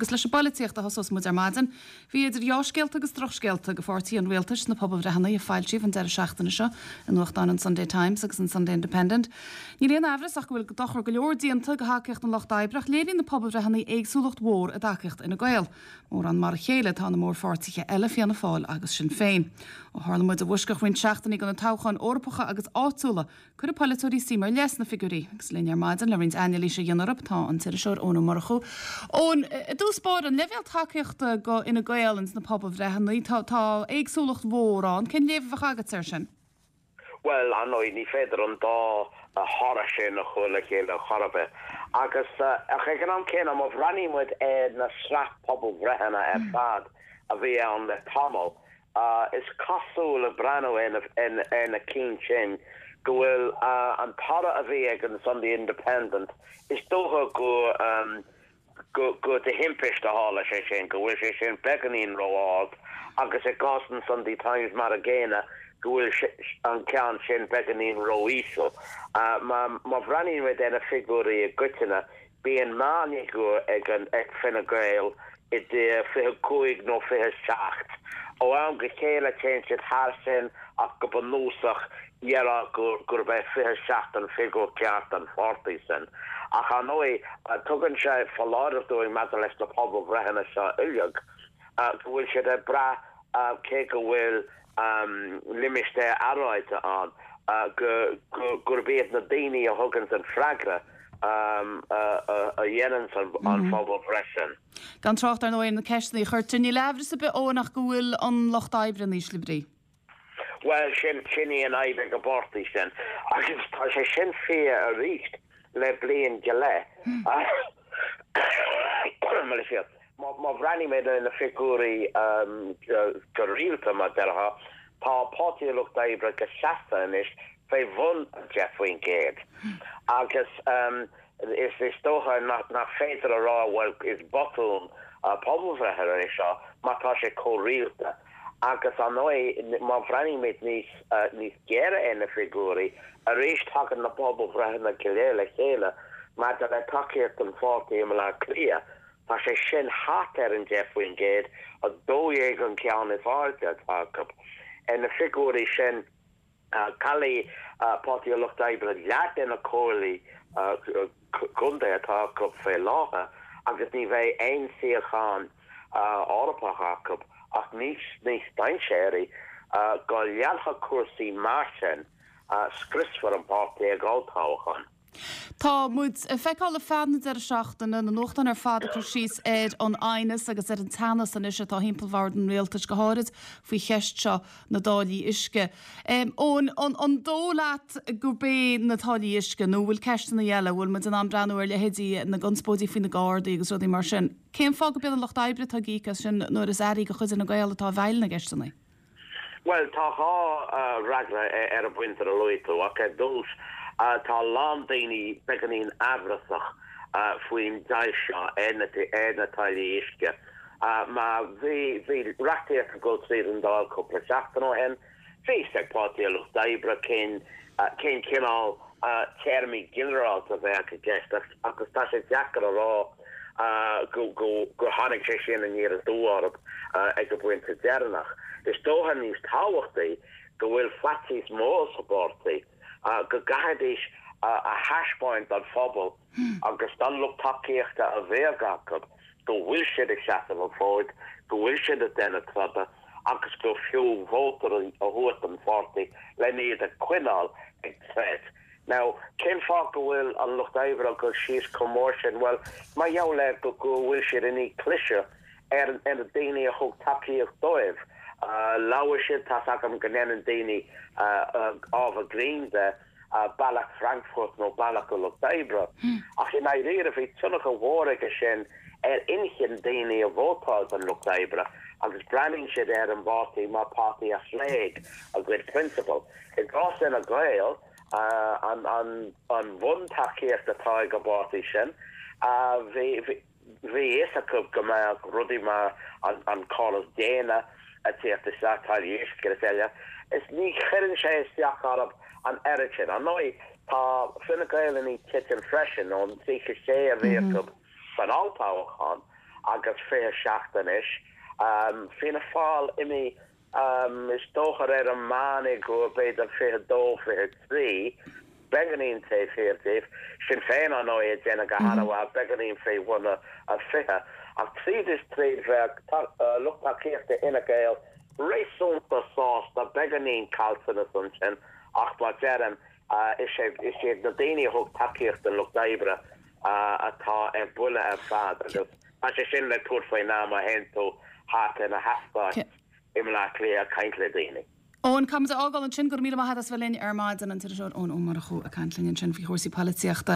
Agus leis an bpoilitíocht a thosós muid ar maidin. Bhí idir dheá-scéalta agus drochscéalta do pháirtí an rialtais sna pobalbhreitheanna a foilsíodh an deireadh seachtaine seo i nuachtáin an Sunday Times agus an Sunday Independent. Níl aon aimhreas ach go bhfuil dochar go leor déanta do thacaíocht an Lucht Oibre ach léiríonn na pobalbhreitheanna éagsúlacht mhór i dtacaíocht Fhine Gael. Mórán mar a chéile atá na mórpháirtithe eile, Fianna Fáil agus Sinn Féin. Ó tharla muid i bhfoisceacht roinnt seachtainí do na toghcháin Eorpacha agus áitiúla, Cuirfidh polaiteoirí suim ar leith sna figiúirí. Agus linn ar maidin le roinnt anailíse a dhéanamh orthu tá an t-iriseoir Eoin Ó Murchú. Eoin, i dtús báire, an leibhéal tacaíochta do Fhine Gael ins na pobalbhreitheanna, tá tá éagsúlacht mhór ann. Cén léamh a bheadh agatsa air sin? Bhuel, ar ndóigh, ní féidir an dá thoradh sin a chur le chéile chor ar bith. Agus, ach ag an am céanna, má bhreathnaíonn muid ar na sraith pobalbhreitheanna ar fad a bhí ann le tamall, Is cosúil, ag breathnú ar na cinn sin, go bhfuil an toradh a bhí ag an Sunday Independent, is dócha gur de thimpiste a tharla sé sin, go bhfuil sé sin beagáinín ró-ard agus i gcás an Sunday Times mar an gcéanna, go bhfuil an ceann sin beagáinín ró-íseal. Má bhreathnaíonn muid ar na figiúirí i gcoitinne, Bíonn meánfhigiúr ag an ag Fine Gael idir 25 nó 27. Ó am go chéile téann siad thar sin ach go bunúsach déarfá gurb é 27 an figiúr ceart don pháirtí sin. Ach ar ndóigh tugann sé foláireamh dúinn maidir leis na pobalbhreitheanna seo uilig go bhfuil siad ag brath cé go bhfuil limistéar earráide ann, gurb iad na daoine a thuganns an freagra a dhéananns an phobalbhreith sin. Gan trácht ar ndóigh ar na ceisteanna a chuirtear, níl aimhreas ar bith Eoin ach go bhfuil an Lucht Oibre in ísle brí. Bhuel, sin í an fhadhb ag an bpáirtí sin agus tá sé sin fíor arís le bliain go leith. Má bhreathnaímid ar na figiúirí go rialta, mar déarfá, tá Páirtí an Lucht Oibre go seasta anois fé bhun 10% agus is dócha nach féidir a rá bhuel is botún pobalbhreithe é seo mar tá sé chomh rialta. Agus ar ndóigh má bhreathnaímid níos níos géire ar na figiúirí, arís tagann na pobalbhreitheanna go léir le chéile maidir le tacaíocht don pháirtí i mBaile Átha Cliath. Tá sé sin thart ar an 10%, 12 an ceann is airde atá acu. Ar na figiúirí sin, caillfidh Páirtí an Lucht Oibre leath de na comhairlí contae atá acu fé láthair agus ní bheidh aon suíochán Eorpach acu ach níos níos dainséaraí go leanfadh cúrsaí mar sin, scriosfar an páirtí ag olltoghchán. Tá muid ag feiceáil ar feadh na deireadh seachtaine, na nuachtáin ar fad ag cur síos ar an aighneas agus ar an teannas anois atá thimpeall bhord an rialtais, go háirid faoi cheist seo na dtáillí uisce. Eoin, an dóigh leat gurb é na táillí uisce nó an bhfuil ceisteanna eile, an bhfuil muid in ann breathnú ar leithéidí na gconspóidí faoi na Gardaí agus rudaí mar sin? Cén fáth gurb iad an Lucht Oibre atá ag íoc as sin nuair is airí de chuid Fhine Gael atá i bhfeighil na gceisteanna? Bhuel, tá dhá fhreagra ar an bpointe a luaigh tú, ach ar dtús, tá a lán daoine beagáinín aimhreasach faoin deighilt seo ar na táillí uisce. Mar bhí reachtaíocht ag dul tríd an Dáil cúpla seachtain ó shin, bhí fhios ag Páirtí an Lucht Oibre cén cineál téarmaí ginearálta a bheadh i gceist agus tá sé deacair a rá gur tháinig sé sin aniar aduaidh orthu ag an bpointe deireanach. Is dócha níos tábhachtaí go bhfuil faitíos mór sa bpáirtí go gcaithfidís a thaispeáint don phobal agus don lucht tacaíochta a bheadh acu go bhfuil siad ag seasamh an fóid, go bhfuil siad ag déanamh troda agus gur fiú vóta a thabhairt don pháirtí len iad a choinneáil ag troid. Now, cén fáth go bhfuil an Lucht Oibre ag dul síos chomh mór sin? Bhuel, mar gheall ar go bhfuil siad i ndiaidh cliseadh ar na daoine a thug tacaíocht dóibh. Labhair siad, tá's agam go ndéanann daoine ábhar grinn de Bealach Frankfurt nó Bealach an Lucht Oibre, ach i ndáiríre bhí tionchar mhór aige sin ar inchinn daoine a vótáil don Lucht Oibre agus breathnaíonn siad ar an bpáirtí mar páirtí a thréig a gcuid prionsabal. I gcás Fhine Gael, an bhuntacaíocht atá ag an bpáirtí sin, bhí fhios acu go mbeadh rudaí mar an córas déine ag tíocht isteach, táillí uisce agus eile, is ní chuireann sé isteach orthu an oiread sin. Ar ndóigh, tá Fine Gael i ndiaidh titim freisin ón 36 a bhí acu san olltoghchán. agus 27 anois. Fianna Fáil imithe, is dócha ar an meán i go b'fhéidir 22, 23, beagáinín taobh thiar díobh. Sinn Féin, ar ndóigh, ag déanamh go han-mhaith, beagáinín faoi bhun a 20. Ach tríd is tríd bheadh lucht tacaíochta Fhine Gael réasúnta sásta, beagáinín caillteanas ansin ach mar deirim, is iad na daoine a thug tacaíocht don Lucht Oibre atá ar buile ar fad agus tá sé sin le tabhairt faoi ndeara má théann tú thart ar na heastáit i mBleá Cliath ag caint le daoine. Eoin, caithfimid a fhágáil ansin. Go raibh míle maith agat as bheith linn ar maidin, an t-iriseoir Eoin Ó Murchú ag caint linn ansin faoi chúrsaí polaitíochta.